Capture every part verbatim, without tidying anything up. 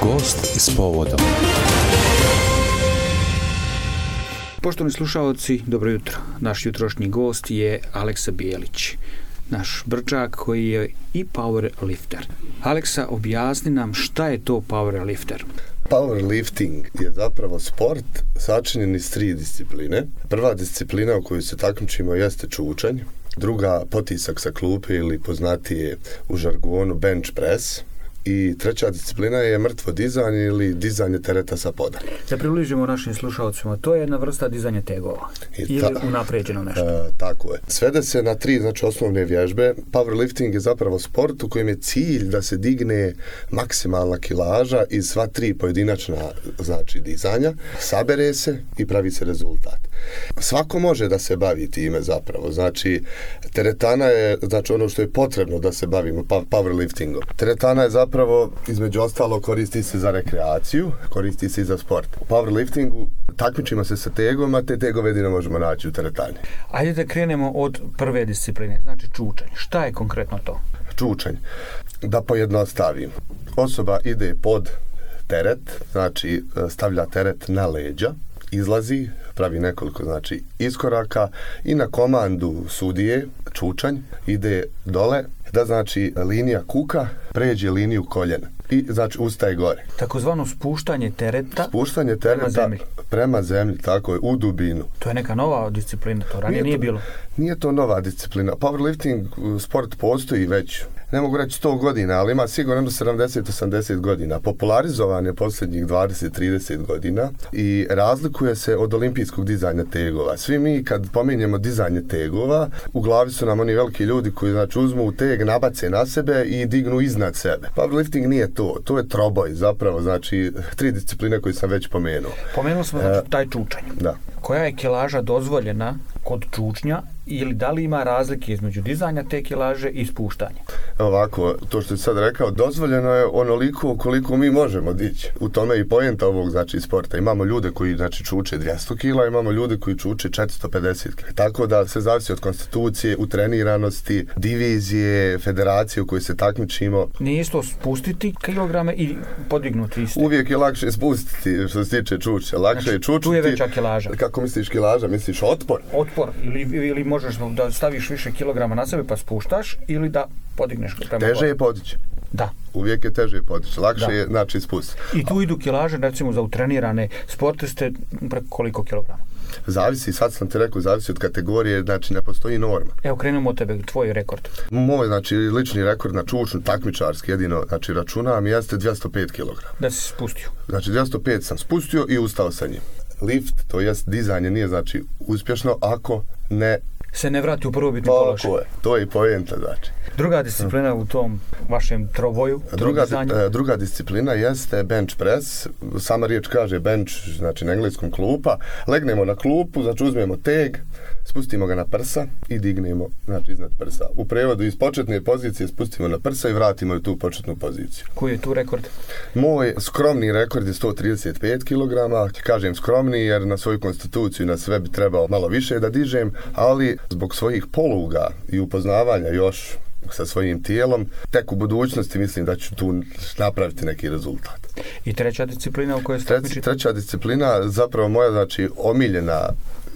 Gost s povodom. Poštovani slušaoci, dobro jutro. Naš jutrošnji gost je Aleksa Bijelić, naš brčak koji je i powerlifter. Aleksa, objasni nam šta je to powerlifter. Powerlifting je zapravo sport sačinjen iz tri discipline. Prva disciplina u kojoj se takmičimo jeste čučanj, druga potisak sa klupe ili poznatije u žargonu bench press. I treća disciplina je mrtvo dizanje ili dizanje tereta sa poda. Da približimo našim slušalcima, to je jedna vrsta dizanja tegova. I ili ta, unapređeno nešto. E, tako je. Svede se na tri znači, osnovne vježbe. Powerlifting je zapravo sport u kojem je cilj da se digne maksimalna kilaža iz sva tri pojedinačna znači, dizanja, sabere se i pravi se rezultat. Svako može da se bavi time zapravo. Znači, teretana je znači, ono što je potrebno da se bavimo powerliftingom. Teretana je zapravo Zapravo, između ostalo, koristi se za rekreaciju, koristi se i za sport. U powerliftingu takmičimo se sa tegom, a te tegove jedino možemo naći u teretani. Ajde da krenemo od prve discipline, znači čučanj. Šta je konkretno to? Čučanj. Da pojednostavim. Osoba ide pod teret, znači stavlja teret na leđa, izlazi, pravi nekoliko znači iskoraka i na komandu sudije, čučanj, ide dole, da znači linija kuka pređe liniju koljena i znači ustaje gore. Takozvano spuštanje tereta, spuštanje tereta prema zemlji. Prema zemlji, tako je, u dubinu. To je neka nova disciplina, to ranije nije, nije to, bilo. Nije to nova disciplina. Powerlifting sport postoji već, ne mogu reći sto godina, ali ima sigurno sedamdeset do osamdeset godina. Popularizovan je posljednjih dvadeset do trideset godina i razlikuje se od olimpijskog dizanja tegova. Svi mi kad pominjemo dizanje tegova, u glavi su nam oni veliki ljudi koji znači uzmu teg, nabace na sebe i dignu iznad sebe. Powerlifting nije to, to je troboj zapravo, znači tri discipline koje sam već pomenuo. Pomenuo smo znači, taj čučanj. Da. Koja je kilaža dozvoljena kod čučnja ili da li ima razlike između dizanja te kilaže i spuštanja? Ovako, to što si sad rekao, dozvoljeno je onoliko koliko mi možemo dići. U tome i poenta ovog znači, sporta. Imamo ljude koji znači, čuče dvjesto kila, imamo ljude koji čuče četiristo pedeset kila. Tako da se zavisi od konstitucije, utreniranosti, divizije, federacije u kojoj se takmičimo. Nije isto spustiti kilograme i podignuti isto? Uvijek je lakše spustiti što se tiče čuča. Lakše znači, je čučiti. Tu je veća kilaža. Kako misliš kilaža? Misliš otpor? Otpor. Ili, ili možeš da staviš više kilograma na sebe pa spuštaš ili da podigneš prema teže je podići. Da. Uvijek je teže podići. Lakše da. je znači spustiti. I tu idu kilaže recimo za utrenirane sportiste preko koliko kilograma? Zavisi, sad sam ti rekao, zavisi od kategorije, znači ne postoji norma. Evo krenemo od tebe, tvoj rekord. Moj, znači, lični rekord na čučnu, takmičarski, jedino, znači, računam, jeste dvjesto pet kilograma. Da si spustio? Znači, dvjesto pet sam spustio i ustao sa njim. Lift, to jest dizanje, nije, znači, uspješno ako ne se ne vrati u prvobitni položaj. Je. To je i poenta, znači. Druga disciplina u tom vašem troboju, druga, druga disciplina jeste bench press. Sama riječ kaže bench, znači na engleskom klupa. Legnemo na klupu, znači uzmemo teg, spustimo ga na prsa i dignemo znači iznad prsa. U prevodu iz početne pozicije spustimo na prsa i vratimo ju tu početnu poziciju. Koji je tu rekord? Moj skromni rekord je sto trideset pet kilograma. Kažem skromni jer na svoju konstituciju na sve bi trebao malo više da dižem, ali zbog svojih poluga i upoznavanja još sa svojim tijelom, tek u budućnosti mislim da ću tu napraviti neki rezultat. I treća disciplina u kojoj ste takmičite? Treća disciplina, zapravo moja znači omiljena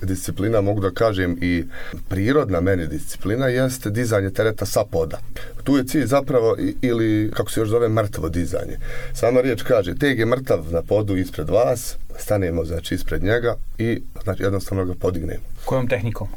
disciplina, mogu da kažem i prirodna meni disciplina, jeste dizanje tereta sa poda. Tu je cilj zapravo ili, kako se još zove, mrtvo dizanje. Sama riječ kaže, teg je mrtav na podu ispred vas, stanemo znači ispred njega i znači jednostavno ga podignemo. Kojom tehnikom?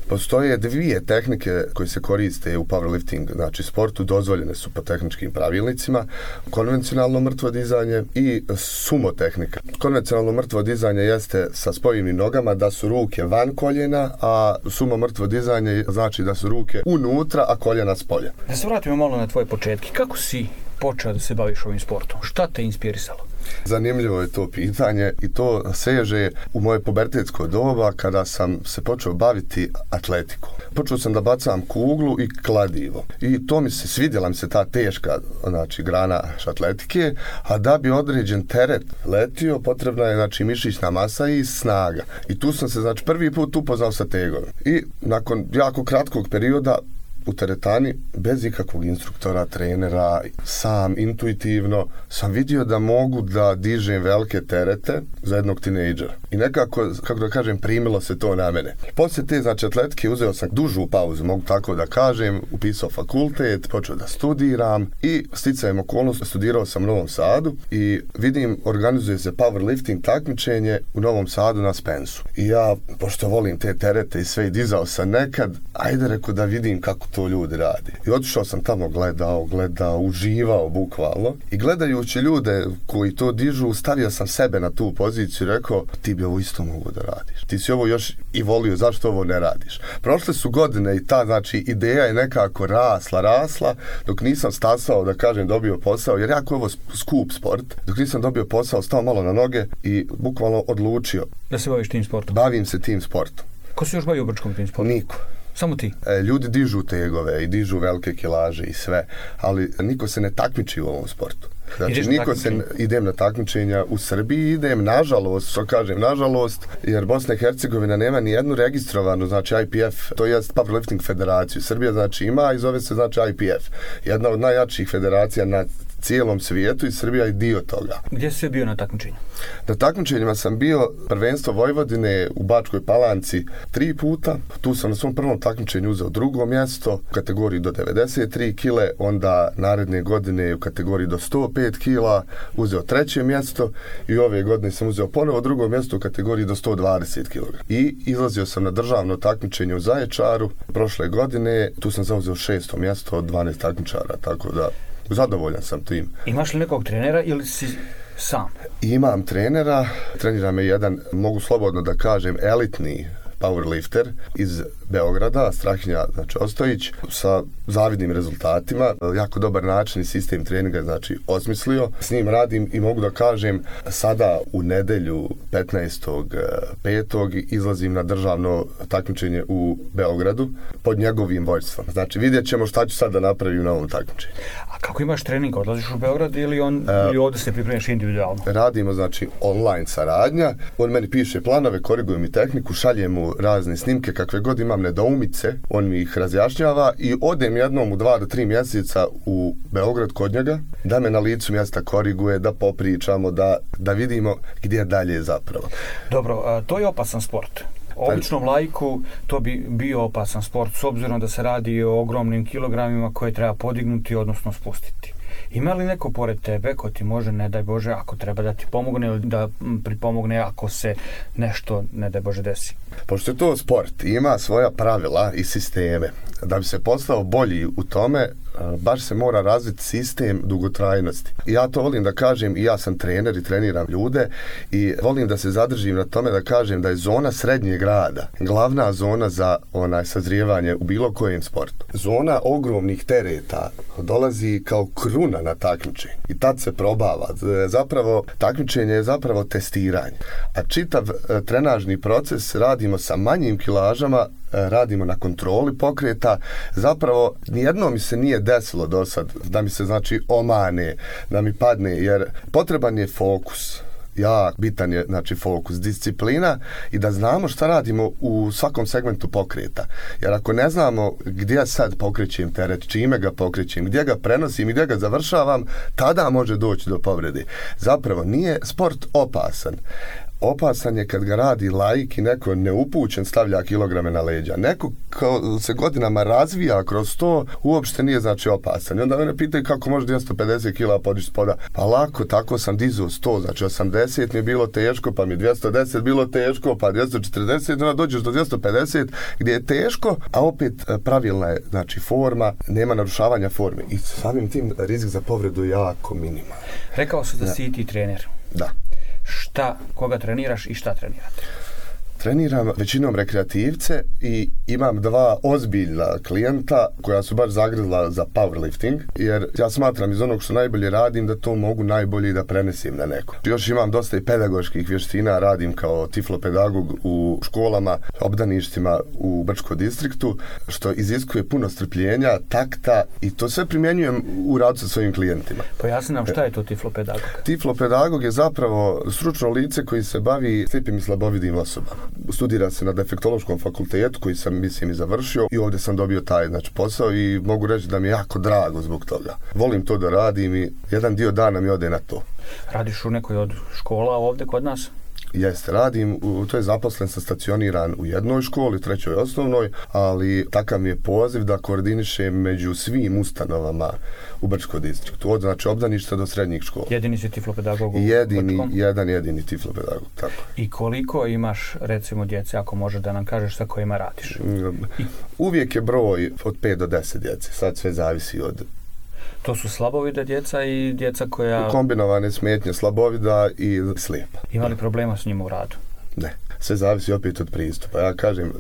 Postoje dvije tehnike koje se koriste u powerlifting, znači sportu, dozvoljene su po tehničkim pravilnicima, konvencionalno mrtvo dizanje i sumo tehnika. Konvencionalno mrtvo dizanje jeste sa spojivnim nogama, da su ruke van koljena, a sumo mrtvo dizanje znači da su ruke unutra, a koljena spolja. Da se vratimo malo na tvoje početke. Kako si počeo da se baviš ovim sportom? Šta te inspirisalo? Zanimljivo je to pitanje i to seže u moje pubertetsko doba kada sam se počeo baviti atletikom. Počeo sam da bacam kuglu i kladivo. I to mi se svidjela mi se ta teška znači, grana atletike, a da bi određen teret letio, potrebna je znači, mišićna masa i snaga. I tu sam se znači, prvi put upoznao sa tegovima. I nakon jako kratkog perioda u teretani bez ikakvog instruktora, trenera, sam intuitivno sam vidio da mogu da dižem velike terete za jednog tinejdžera. I nekako, kako da kažem, primilo se to na mene. Poslije te, znači, atletike uzeo sam dužu pauzu, mogu tako da kažem, upisao fakultet, počeo da studiram i sticajem okolnosti studirao sam u Novom Sadu i vidim, organizuje se powerlifting takmičenje u Novom Sadu na Spensu. I ja, pošto volim te terete i sve i dizao sam nekad, ajde reku da vidim kako to ljudi radi. I otišao sam tamo, gledao, gledao, uživao bukvalno i gledajući ljude koji to dižu, stavio sam sebe na tu poziciju i rekao, ti bi ovo isto mogu da radiš. Ti si ovo još i volio, zašto ovo ne radiš? Prošle su godine i ta, znači, ideja je nekako rasla, rasla, dok nisam stasao, da kažem, dobio posao, jer jako je ovo skup sport, dok nisam dobio posao, stao malo na noge i bukvalno odlučio. Da se baviš tim sportom? Bavim se tim sportom. Ko se još bavi u Brčkom tim sportom? Niko. Samo ti? E, ljudi dižu tegove i dižu velike kilaže i sve, ali niko se ne takmiči u ovom sportu. Znači, niko se, idem na takmičenja u Srbiji, idem, nažalost, što kažem, nažalost, jer Bosna i Hercegovina nema ni jednu registrovanu, znači I P F, to je Powerlifting federaciju. Srbija, znači, ima i zove se, znači, I P F. Jedna od najjačih federacija na cijelom svijetu i Srbija je dio toga. Gdje si bio na takmičenju? Na takmičenjima sam bio prvenstvo Vojvodine u Bačkoj Palanci tri puta. Tu sam na svom prvom takmičenju uzeo drugo mjesto u kategoriji do devedeset tri kile, onda naredne godine u kategoriji do sto pet kila uzeo treće mjesto i ove godine sam uzeo ponovo drugo mjesto u kategoriji do sto dvadeset kilograma. I izlazio sam na državno takmičenje u Zaječaru prošle godine, tu sam zauzeo šesto mjesto od dvanaest takmičara, tako da zadovoljan sam tim. Imaš li nekog trenera ili si sam? Imam trenera, trenira me jedan, mogu slobodno da kažem, elitni powerlifter iz Beograda, Strahinja, znači, Ostojić, sa zavidnim rezultatima, jako dobar način i sistem treninga, znači, osmislio. S njim radim i mogu da kažem, sada u nedelju petnaestog petog izlazim na državno takmičenje u Beogradu pod njegovim vođstvom. Znači, vidjet ćemo šta ću sad da napravim na ovom takmičenju. A kako imaš trening? Odlaziš u Beograd ili, on, uh, ili ovdje se pripremiš individualno? Radimo, znači, online saradnja. On meni piše planove, koriguje mi tehniku, šalje mu razne snimke, kakve god imam nedoumice, on mi ih razjašnjava i odem jednom u dva do tri mjeseca u Beograd kod njega, da me na licu mjesta koriguje, da popričamo, da, da vidimo gdje dalje zapravo. Dobro, to je opasan sport. Običnom laiku to bi bio opasan sport, s obzirom da se radi o ogromnim kilogramima koje treba podignuti, odnosno spustiti. Ima li neko pored tebe ko ti može, ne daj Bože, ako treba da ti pomogne ili da pripomogne ako se nešto, ne daj Bože, desi? Pošto je to sport, ima svoja pravila i sisteme. Da bi se postao bolji u tome, baš se mora razviti sistem dugotrajnosti. I ja to volim da kažem, i ja sam trener i treniram ljude i volim da se zadržim na tome da kažem da je zona srednjeg rada glavna zona za onaj sazrijevanje u bilo kojem sportu. Zona ogromnih tereta dolazi kao kruna na takmičenje i tad se probava. Zapravo, takmičenje je zapravo testiranje. A čitav trenažni proces radimo sa manjim kilažama, radimo na kontroli pokreta. Zapravo, nijedno mi se nije desilo do sad da mi se, znači, omane, da mi padne, jer potreban je fokus. Jak bitan je, znači, fokus, disciplina i da znamo šta radimo u svakom segmentu pokreta. Jer ako ne znamo gdje sad pokrećem teret, čime ga pokrećem, gdje ga prenosim i gdje ga završavam, tada može doći do povrede. Zapravo, nije sport opasan. Opasan je kad ga radi laik i neko neupućen stavlja kilograme na leđa. Neko ko se godinama razvija kroz to, uopšte nije, znači, opasan. I onda mene pitaju kako može dvjesto pedeset kila podići spoda. Pa lako, tako sam dizao sto, znači osamdeset mi je bilo teško, pa mi je dvjesto deset bilo teško, pa dvjesto četrdeset, onda dođeš do dvjesto pedeset gdje je teško, a opet pravilna je, znači, forma, nema narušavanja forme. I samim tim rizik za povredu je jako minimalan. Rekao se da, da si i ti trener. Da. Šta, koga treniraš i šta trenirate? Treniram većinom rekreativce i imam dva ozbiljna klijenta koja su baš zagrizla za powerlifting, jer ja smatram iz onog što najbolje radim da to mogu najbolje da prenesim na neko. Još imam dosta i pedagoških vještina, radim kao tiflopedagog u školama, obdaništima u Brčkom distriktu, što iziskuje puno strpljenja, takta i to sve primjenjujem u radu sa svojim klijentima. Pojasni nam šta je to tiflopedagog? Tiflopedagog je zapravo stručno lice koji se bavi slijepim i slabovidnim osobama. studira se na defektološkom fakultetu koji sam, mislim, i završio i ovdje sam dobio taj, znači, posao i mogu reći da mi je jako drago zbog toga. Volim to da radim i jedan dio dana mi ode na to. Radiš u nekoj od škola ovdje kod nas? Jeste, radim, u, to je zaposlen sam stacioniran u jednoj školi, trećoj osnovnoj, ali takav mi je poziv da koordinišem među svim ustanovama u Brčkom distriktu, od znači obdaništa do srednjih škola. Jedini si tiflopedagog u jedini, Brčkom? Jedan jedini tiflopedagog, tako. I koliko imaš, recimo, djece, ako možeš da nam kažeš sa kojima radiš? Uvijek je broj od pet do deset djece, sad sve zavisi od... To su slabovida djeca i djeca koja... Kombinovane smetnje slabovida i slijepa. Ima li problema s njima u radu? Ne. Sve zavisi opet od pristupa. Ja kažem,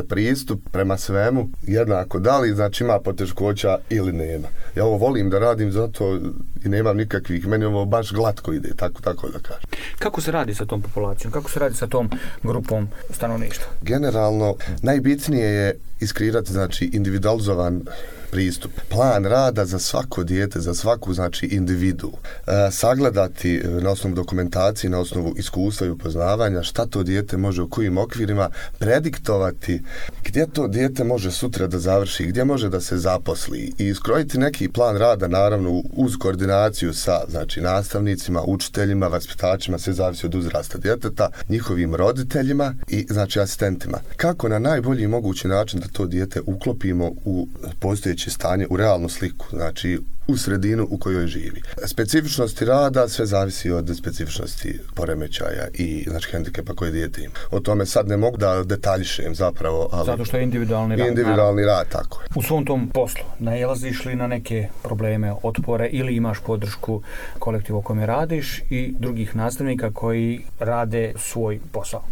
pristup prema svemu jednako da li, znači ima poteškoća ili nema. Ja ovo volim da radim zato i nemam nikakvih, meni ovo baš glatko ide, tako, tako da kažem. Kako se radi sa tom populacijom? Kako se radi sa tom grupom stanovništva? Generalno, najbitnije je iskreirati, znači, individualizovan pristup. Plan rada za svako dijete, za svaku, znači, individu. E, sagledati na osnovu dokumentacije, na osnovu iskustva i upoznavanja šta to dijete može u kojim okvirima, prediktovati gdje to dijete može sutra da završi, gdje može da se zaposli i iskrojiti neki plan rada, naravno, uz koordinaciju sa, znači, nastavnicima, učiteljima, vaspitačima, sve zavisi od uzrasta djeteta, njihovim roditeljima i, znači, asistentima. Kako na najbolji mogući način da to dijete uklopimo u postojeće stanje, u realnu sliku, znači u sredinu u kojoj živi. Specifičnosti rada sve zavisi od specifičnosti poremećaja i, znači, hendikepa koje dijete ima. O tome sad ne mogu da detaljišem zapravo, ali... Zato što je individualni rad. Individualni rad, tako je. U svom tom poslu nailaziš li na neke probleme, otpore ili imaš podršku kolektiva u kojem radiš i drugih nastavnika koji rade svoj posao?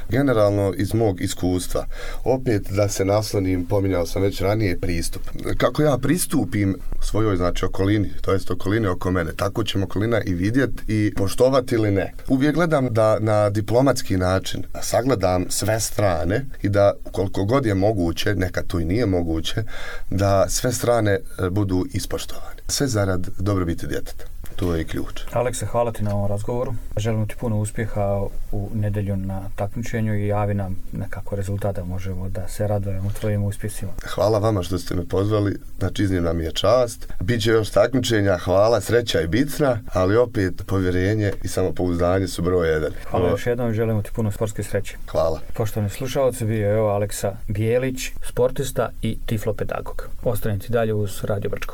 Generalno, iz mog iskustva, opet da se naslonim, pominjao sam već ranije, pristup. Kako ja pristupim svojoj, znači, okolini, to jest okoline oko mene, tako ćemo okolina i vidjeti i poštovati ili ne. Uvijek gledam da na diplomatski način sagledam sve strane i da, koliko god je moguće, nekad to i nije moguće, da sve strane budu ispoštovane. Sve zarad dobrobiti djeteta. To je ključ. Aleksa, hvala ti na ovom razgovoru. Želim ti puno uspjeha u nedjelju na takmičenju i javi nam nekako rezultata, možemo da se radujemo tvojim uspjesima. Hvala vama što ste me pozvali, znači iznimna mi je čast. Biće još takmičenja, hvala, sreća i bitna, ali opet povjerenje i samopouzdanje su broj jedan. Hvala još jednom i želimo ti puno sportske sreće. Hvala. Poštovani slušalci, bio je ovo Aleksa Bijelić, sportista i tiflopedagog. Ostanite dalje uz Radio Brčko.